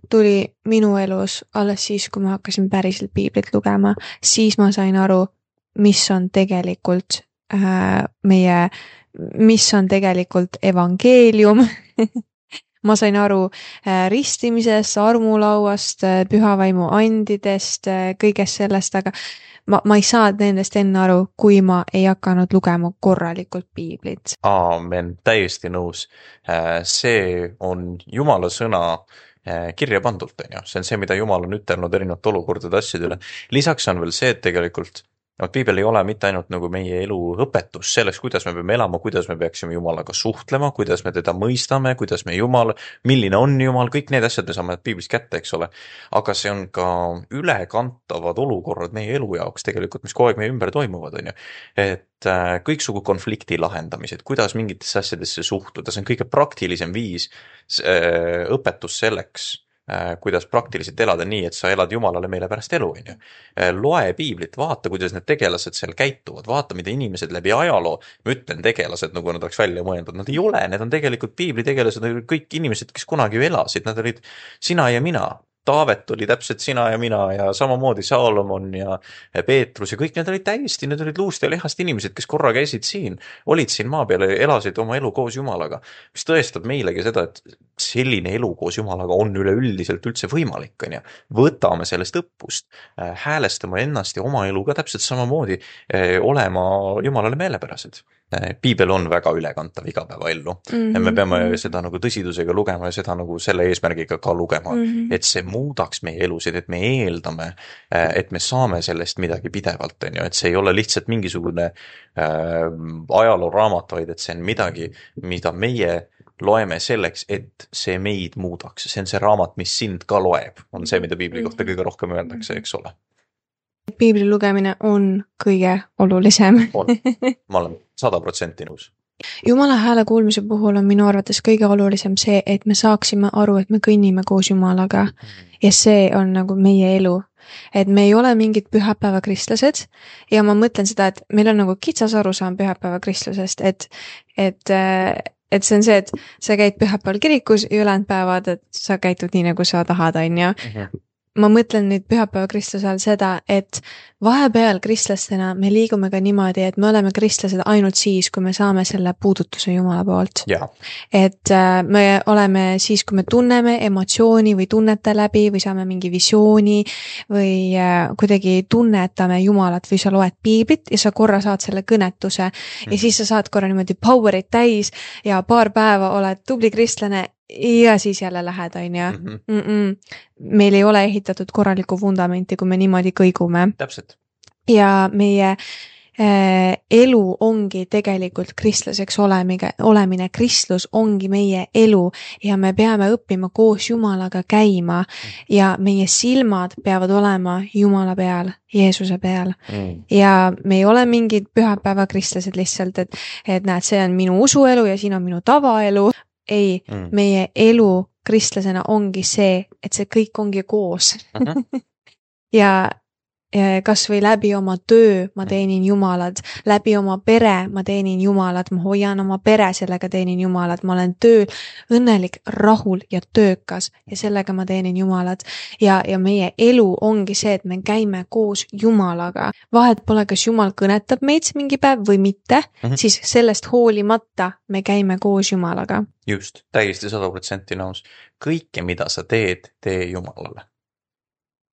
tuli minu elus alles siis, kui ma hakkasin päriselt Piiblit lugema. Siis ma sain aru, mis on tegelikult äh, meie mis on tegelikult evangeelium. Ma sain aru äh, ristimisest, armulauast, äh, pühavaimu andidest, äh, kõigest sellest, aga ma, ma ei saa nendest enne aru, kui ma ei hakanud lugema korralikult Piiblit. Aamen, täiesti nõus. Äh, see on Jumala sõna äh, kirja pandult, on ju. See on see, mida Jumal on ütelnud erinevate olukordade asjadele. Lisaks on veel see, et tegelikult no, Piibel ei ole mitte ainult nagu meie elu õpetus selleks, kuidas me peame elama, kuidas me peaksime Jumalaga suhtlema, kuidas me teda mõistame, kuidas me Jumal, milline on Jumal, kõik need asjad me saame Piiblist kätte, eks ole. Aga see on ka ülekantavad olukorrad meie elu jaoks tegelikult, mis kogu aeg meie ümber toimuvad, on ju. Et äh, kõiksugu konflikti lahendamised, kuidas mingitesse asjadesse suhtuda, see on kõige praktilisem viis äh, õpetus selleks, kuidas praktiliselt elada nii, et sa elad Jumalale meile pärast elu, on ju. Loe piiblit, vaata, kuidas need tegelased seal käituvad, vaata, mida inimesed läbi ajaloo, ma ütlen tegelased, nagu nad oleks välja mõeldud, nad ei ole, need on tegelikult piibli tegelased, nad olid kõik inimesed, kes kunagi ju elasid, nad olid sina ja mina. Taavet oli täpselt sina ja mina ja samamoodi Saalomon ja Peetrus ja kõik need olid täiesti, need olid luust ja lihast inimesed, kes korra käisid siin, olid siin maa peal ja elasid oma elu koos Jumalaga, mis tõestab meilegi seda, et selline elu koos Jumalaga on üleüldiselt üldse võimalik, on ju. Võtame sellest õppust, häälestame ennast ja oma elu ka täpselt samamoodi olema Jumalale meelepärased. Piibel on väga ülekantav igapäevaellu mm-hmm. ja me peame seda nagu tõsidusega lugema ja seda nagu selle eesmärgiga ka lugema, mm-hmm. et see muudaks meie elusid, et me eeldame, et me saame sellest midagi pidevalt, on ju, et see ei ole lihtsalt mingisugune äh, ajalooraamat, vaid et see on midagi, mida meie loeme selleks, et see meid muudaks. See on see raamat, mis sind ka loeb, on see, mida piibli kohta kõige rohkem öeldakse, eks ole. Piibli lugemine on kõige olulisem. On. Ma olen sada protsenti nõus. Jumala hääle kuulmise puhul on minu arvates kõige olulisem see, et me saaksime aru, et me kõnnime koos Jumalaga ja see on nagu meie elu. Et me ei ole mingid pühapäeva kristlased ja ma mõtlen seda, et meil on nagu kitsas arusaam pühapäeva kristlasest, et, et, et see on see, et sa käid pühapäeval kirikus ja ülejäänud päevad, et sa käitud nii, nagu sa tahad, on ju. Mm-hmm. Ma mõtlen nüüd pühapäeva kristluse all seda, et vahepeal kristlastena me liigume ka niimoodi, et me oleme kristlased ainult siis, kui me saame selle puudutuse Jumala poolt. Ja. Et me oleme siis, kui me tunneme emotsiooni või tunnete läbi või saame mingi visiooni või kuidagi tunnetame Jumalat või sa loed piiblit ja sa korra saad selle kõnetuse mm. ja siis sa saad korra niimoodi powerit täis ja paar päeva oled tubli kristlane ja siis jälle lähed, on ju. Mm-mm. Meil ei ole ehitatud korralikku vundamenti, kui me niimoodi kõigume. Täpselt. Ja meie äh, elu ongi tegelikult kristlaseks olemine, olemine. Kristlus ongi meie elu ja me peame õppima koos Jumalaga käima ja meie silmad peavad olema Jumala peal, Jeesuse peal. Mm. Ja me ei ole mingid pühapäeva kristlased lihtsalt, et, et näed, see on minu usuelu ja siin on minu tavaelu. Ei, mm. meie elu kristlasena ongi see, et see kõik ongi koos. Uh-huh. ja kas või läbi oma töö ma teenin Jumalat, läbi oma pere ma teenin Jumalat, ma hoian oma pere, sellega teenin Jumalat, ma olen tööl õnnelik, rahul ja töökas ja sellega ma teenin Jumalat. Ja, ja meie elu ongi see, et me käime koos Jumalaga. Vahet pole, kas Jumal kõnetab meid mingi päev või mitte, uh-huh. siis sellest hoolimata me käime koos Jumalaga. Just, täiesti sada protsenti nõus. Kõike, mida sa teed, tee Jumalale.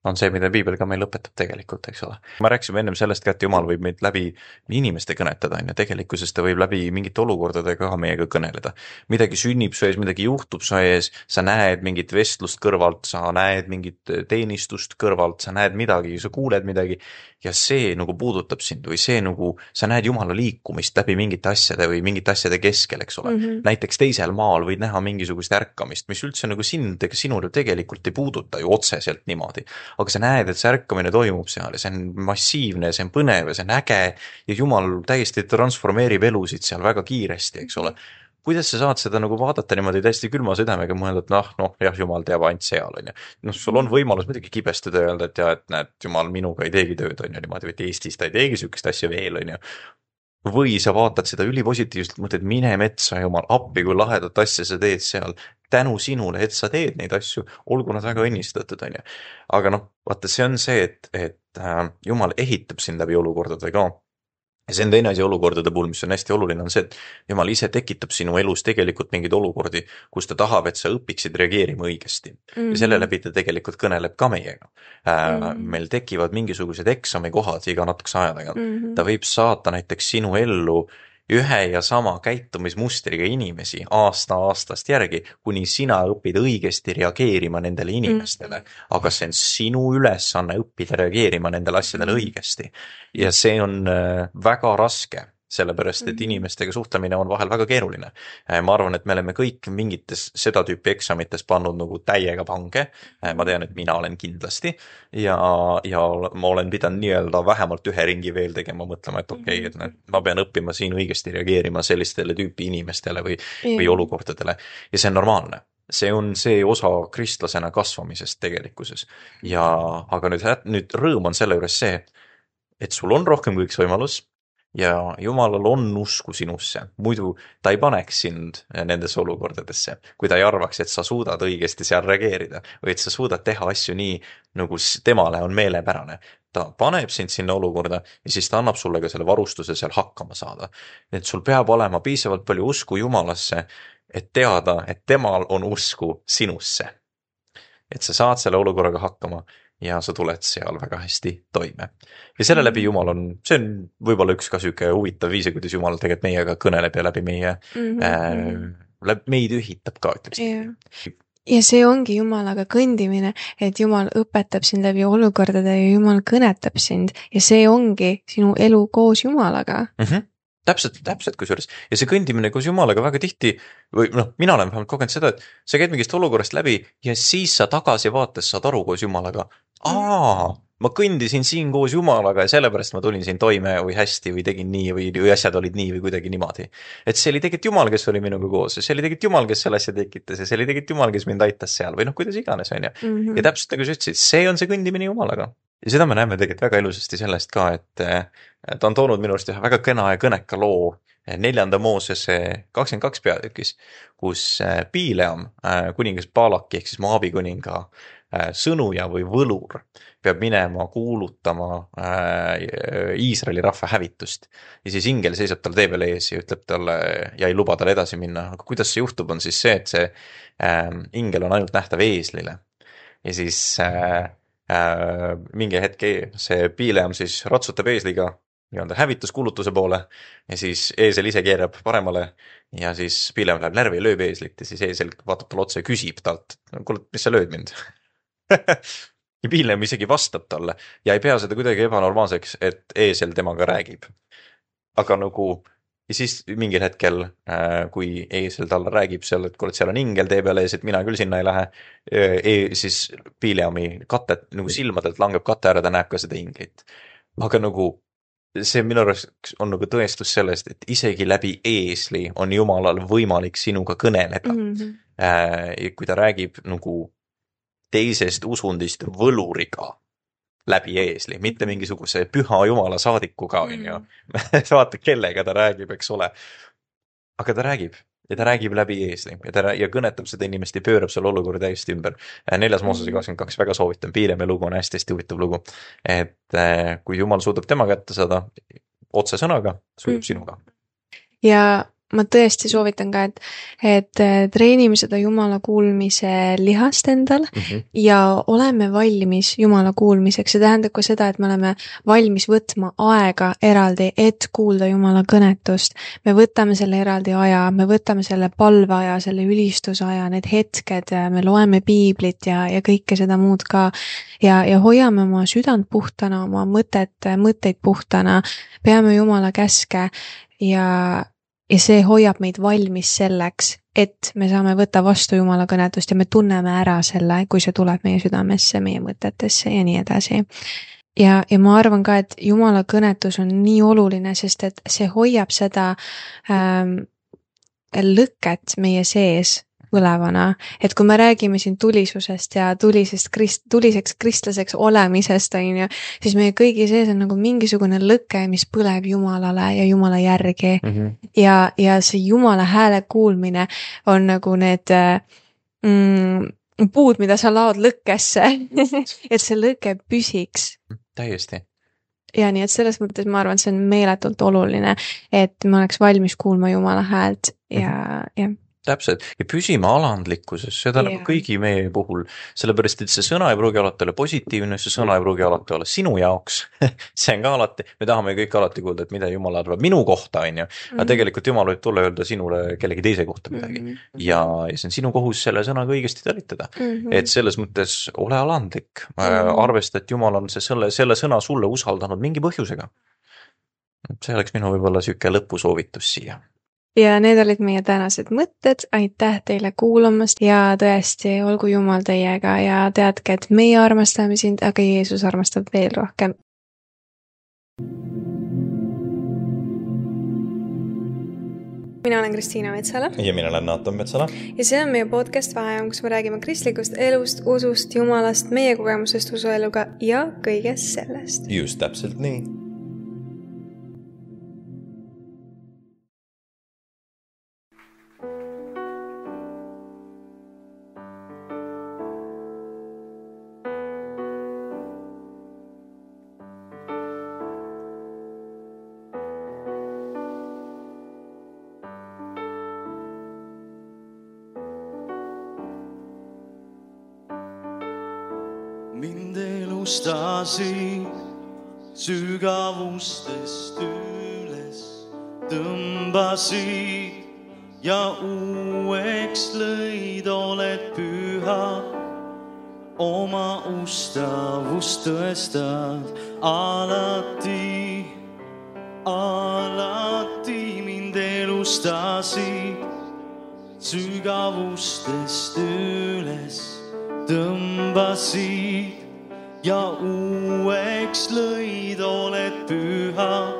On see, mida piibel ka meil õpetab tegelikult, eks ole. Ma rääksime ennem sellest ka, et Jumal võib meid läbi inimeste kõnetada, ja tegelikkuses ta võib läbi mingite olukordadega ka meiega kõneleda. Midagi sünnib su ees, midagi juhtub su ees, sa näed mingit vestlust kõrvalt, sa näed mingit teenistust kõrvalt, sa näed midagi, sa kuuled midagi ja see nagu puudutab sind või see nagu, sa näed Jumala liikumist läbi mingite asjade või mingite asjade keskel, eks ole. Mm-hmm. Näiteks teisel maal võid näha mingisugust ärkamist, mis üldse nagu sind ega sinule tegelikult ei puuduta ju otseselt niimoodi. Aga sa näed, et see ärkamine toimub seal ja see on massiivne, see on põnev ja see on äge ja Jumal täiesti transformeerib elusid seal väga kiiresti, eks ole. Kuidas sa saad seda nagu vaadata niimoodi täiesti külma südamega mõelda, et noh, noh, jah, Jumal teab ainult seal, on ju. Noh, sul on võimalus midagi kibestada ja öelda, et jah, et näed, Jumal minuga ei teegi tööd, on ju, niimoodi, et Eestis ta ei teegi sükest asja veel, on ju. Või sa vaatad seda ülipositiivselt, mõtled, mine metsa, Jumal, appi, kui lahedat asja sa teed seal. Tänu sinule, et sa teed neid asju, olgu nad väga õnnistatud, on ju. Aga noh, vaata, see on see, et, et äh, Jumal ehitab sind läbi olukordade ka. Ja see on teine asi olukordade puhul, mis on hästi oluline, on see, et Jumal ise tekitab sinu elus tegelikult mingeid olukordi, kus ta tahab, et sa õpiksid reageerima õigesti. Mm-hmm. Ja selle läbi ta tegelikult kõneleb ka meiega. Mm-hmm. Meil tekivad mingisugused eksamikohad iga natukese aja tagant. Mm-hmm. Ta võib saata näiteks sinu ellu ühe ja sama käitumismustriga inimesi aasta aastast järgi, kuni sina õpid õigesti reageerima nendele inimestele. Mm. Aga see on sinu ülesanne õppida reageerima nendele asjadele õigesti. Ja see on väga raske, sellepärast, et inimestega suhtlemine on vahel väga keeruline. Ma arvan, et me oleme kõik mingites seda tüüpi eksamites pannud nagu täiega pange. Ma tean, et mina olen kindlasti ja, ja ma olen pidanud nii-öelda vähemalt ühe ringi veel tegema, mõtlema, et okei, okay, et ma pean õppima siin õigesti reageerima sellistele tüüpi inimestele või, või olukordadele. Ja see on normaalne. see on see osa kristlasena kasvamisest tegelikkuses. Ja, aga nüüd, nüüd rõõm on selle juures see, et sul on rohkem kui üks võimalus ja Jumalal on usku sinusse. Muidu ta ei paneks sind nendesse olukordadesse, kui ta ei arvaks, et sa suudad õigesti seal reageerida või et sa suudad teha asju nii, nagu temale on meelepärane. Ta paneb sind sinna olukorda ja siis ta annab sulle ka selle varustuse seal hakkama saada. Et sul peab olema piisavalt palju usku Jumalasse, et teada, et temal on usku sinusse. Et sa saad selle olukorraga hakkama ja sa tuled seal väga hästi toime. Ja selle läbi Jumal on, see on võib-olla üks ka süke huvitav viise, kuidas Jumal tegelikult meiega kõneleb ja läbi meie, mm-hmm. äh, läbi meid ühitab ka, ütleks. Yeah. Ja see ongi Jumalaga kõndimine, et Jumal õpetab sind läbi olukordade ja Jumal kõnetab sind ja see ongi sinu elu koos Jumalaga. Mm-hmm. Täpselt, täpselt kusjuures. Ja see kõndimine koos Jumalaga väga tihti, või noh, mina olen vähemalt kogenud seda, et sa käid mingist olukorrast läbi ja siis sa tagasi vaates saad aru koos Jumalaga. Aa, ma kõndisin siin koos Jumalaga ja sellepärast ma tulin siin toime või hästi või tegin nii või, või asjad olid nii või kuidagi niimoodi. Et see oli tegelikult Jumal, kes oli minuga koos ja see oli tegelikult Jumal, kes selle asja tekitas ja see oli tegelikult Jumal, kes mind aitas seal või noh, kuidas iganes on ju. Mm-hmm. Ja täpselt nagu sa ütlesid, see on see kõndimine Jumalaga. Ja seda me näeme tegelikult väga ilusasti sellest ka, et ta on toonud minu arust ühe väga kena ja kõneka loo neljanda Moosese kakskümmend kaks peatükis, kus Bileam, kuningas Balaki ehk siis Moabi kuninga sõnuja või võlur peab minema kuulutama Iisraeli rahva hävitust. Ja siis ingel seisab tal tee peal ees ja ütleb talle ja ei luba tal edasi minna. Aga kuidas see juhtub, on siis see, et see ingel on ainult nähtav eeslile. Ja siis Äh, mingi hetke see Bileam siis ratsutab eesliga nii-öelda hävituskuulutuse poole ja siis eesel ise keerab paremale ja siis Bileam läheb närvi ja lööb eeslit ja siis eesel vaatab tal otsa ja küsib talt, kuule, mis sa lööd mind? Ja Bileam isegi vastab talle ja ei pea seda kuidagi ebanormaalseks, et eesel temaga räägib. Aga nagu ja siis mingil hetkel, kui eesel talle räägib seal, et kuule, seal on ingel tee peale ees, et mina küll sinna ei lähe, e, siis Bileami katet, nagu silmadelt langeb kate ära, ta näeb ka seda inglit. Aga nagu see minu arust on nagu tõestus sellest, et isegi läbi eesli on Jumalal võimalik sinuga kõneleda. Mm-hmm. Kui ta räägib nagu teisest usundist võluriga läbi eesli, mitte mingisuguse püha Jumala saadikuga, on ju. Vaata, kellega ta räägib, eks ole. Aga ta räägib ja ta räägib läbi eesli ja ta ja kõnetab seda inimest ja pöörab selle olukorra täiesti ümber. Neljas Moosese kakskümmend kaks, väga soovitan, Bileami lugu on hästi-hästi huvitav lugu. Et kui Jumal suudab tema kätte saada otse sõnaga, suudab mm. sinuga. Ja ma tõesti soovitan ka, et, et treenime seda Jumala kuulmise lihast endal mm-hmm. ja oleme valmis Jumala kuulmiseks. See tähendab ka seda, et me oleme valmis võtma aega eraldi, et kuulda Jumala kõnetust. Me võtame selle eraldi aja, me võtame selle palveaja, selle ülistusaja, need hetked, me loeme piiblit ja, ja kõike seda muud ka. Ja, ja hoiame oma südant puhtana, oma mõtet, mõtteid puhtana, peame Jumala käske ja Ja see hoiab meid valmis selleks, et me saame võtta vastu Jumala kõnetust ja me tunneme ära selle, kui see tuleb meie südamesse, meie mõtetesse ja nii edasi. Ja, ja ma arvan ka, et Jumala kõnetus on nii oluline, sest et see hoiab seda ähm, lõket meie sees põlevana, et kui me räägime siin tulisusest ja tulisest krist, tuliseks kristlaseks olemisest, on ju, siis meie kõigi sees on nagu mingisugune lõke, mis põleb Jumalale ja Jumala järgi mm-hmm. ja, ja see Jumala hääle kuulmine on nagu need mm, puud, mida sa laod lõkkesse, et see lõke püsiks. Täiesti. Ja nii, et selles mõttes ma arvan, et see on meeletult oluline, et me oleks valmis kuulma Jumala häält ja, mm-hmm. ja täpselt, ja püsima alandlikkuses, seda yeah. nagu kõigi meie puhul, sellepärast, et see sõna ei pruugi alati olla positiivne, see sõna ei pruugi alati olla sinu jaoks, see on ka alati, me tahame kõik alati kuulda, et mida Jumal arvab minu kohta, on ju, aga mm-hmm. tegelikult Jumal võib tulla öelda sinule kellegi teise kohta midagi mm-hmm. ja, ja see on sinu kohus selle sõnaga õigesti talitada, mm-hmm. et selles mõttes ole alandlik, mm-hmm. arvesta, et Jumal on see, selle, selle sõna sulle usaldanud mingi põhjusega. See oleks minu võib-olla süke lõpusoovitus siia. Ja need olid meie tänased mõtted, aitäh teile kuulamast ja tõesti, olgu Jumal teiega ja teadke, et meie armastame sind, aga Jeesus armastab veel rohkem. Mina olen Kristiina Metsala. Ja mina olen Naaton Metsala. Ja see on meie podcast Vaheajam, kus me räägime kristlikust elust, usust, jumalast, meie kogemusest usueluga ja kõigest sellest. Just täpselt nii. Mind elustasid sügavustest üles, tõmbasid ja uueks lõid, oled püha, oma ustavust tõestad alati, alati. Mind elustasid sügavustest üles, tõmbasid ja uueks lõid, oled püha,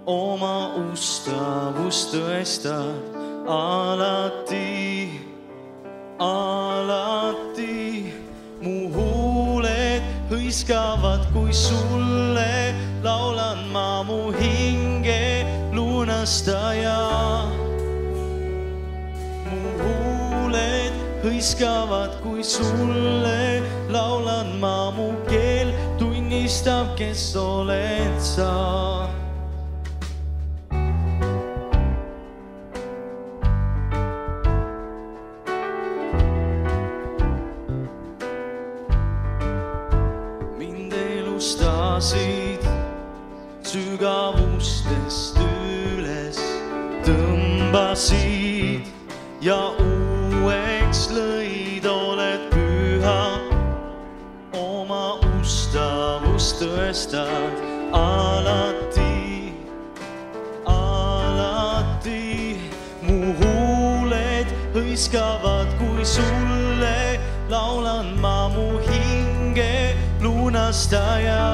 oma ustavust tõestad alati, alati. Mu huuled hõiskavad, kui sulle laulan ma, mu hinge lunastaja. Hõiskavad, kui sulle laulan ma, mu keel tunnistab, kes oled sa. Mind elustasid sügavustest üles, tõmbasid ja uueks lõid, oled püha, oma ustavust tõestad alati, alati. Mu huuled hõiskavad, kui sulle laulan ma, mu hinge lunastaja.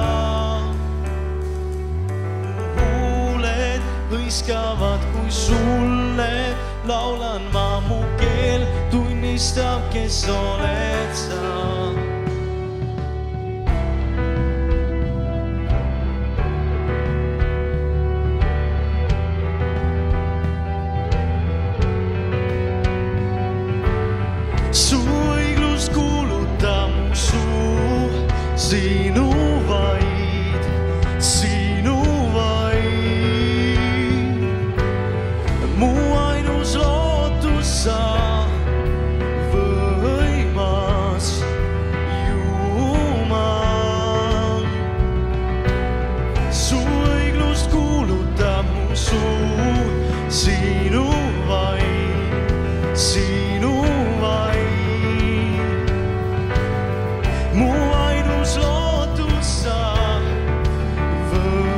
Mu huuled hõiskavad, kui sulle laulan ma, mu keel tunnistab, kes oled sa. Su õiglus kuulutab mu suu, sinu vaid, sinu vaid. Mu ainus lootus sa, võimas Jumal. Su õiglust kuulutab mu suu, sinu vaid, sinu vaid. Mu ainus lootus sa,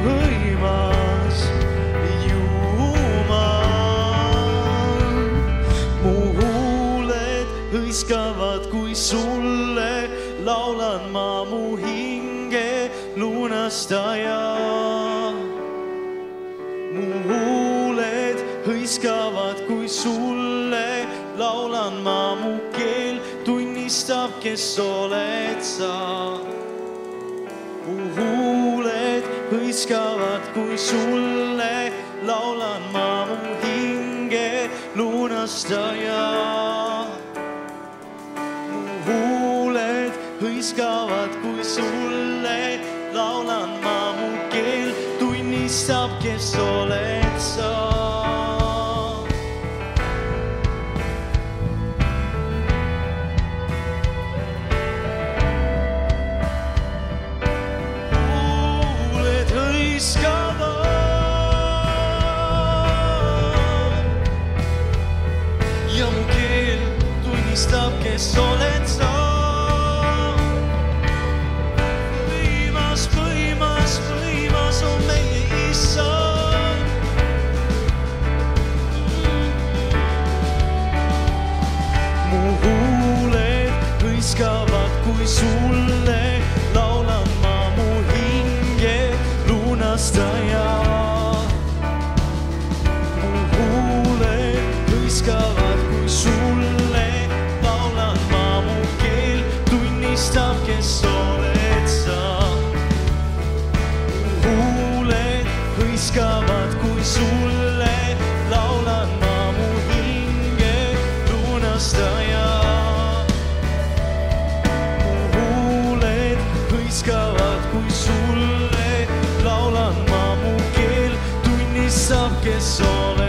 võimas Jumal. Mu huuled hõiskavad, kui sulle laulan ma, mu hinge lunastaja. Mu huuled hõiskavad, kui sulle laulan ma, mu keel tunnistab, kes oled sa. Mu huuled hõiskavad, kui sulle laulan ma, mu hinge lunastaja. Mu huuled hõiskavad, kui sulle laulan ma, mu keel tunnistab, kes oled sa. Ja mu keel tunnistab, kes oled sa. Võimas, võimas, võimas on meie Issand. Mu huuled hõiskavad, kui sulle laulan ma, mu hinge lunastaja. Mu huuled armastaja. Mu huuled hõiskavad, kui sulle laulan ma, mu keel tunnistab, kes oled.